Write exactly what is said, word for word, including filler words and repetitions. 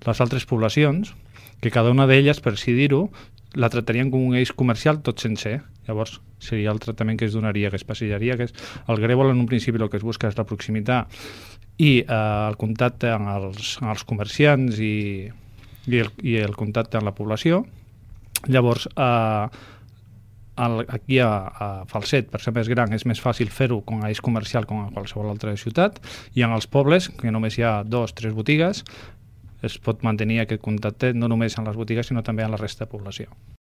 les altres poblacions, que cada una d'elles, per així dir-ho, la tractarien com un eix comercial tot sencer. Llavors, seria el tractament que es donaria, que es passejaria, que és el grèvol en un principi el que es busca és la proximitat i eh, el contacte amb els, amb els comerciants i, i, el, i el contacte amb la població. Llavors, eh, el, aquí a, a Falset, per ser més gran, és més fàcil fer-ho com a eix comercial com a qualsevol altra ciutat, i en els pobles, que només hi ha dos o tres botigues, es pot mantenir aquest contacte no només amb les botigues sinó també amb la resta de població.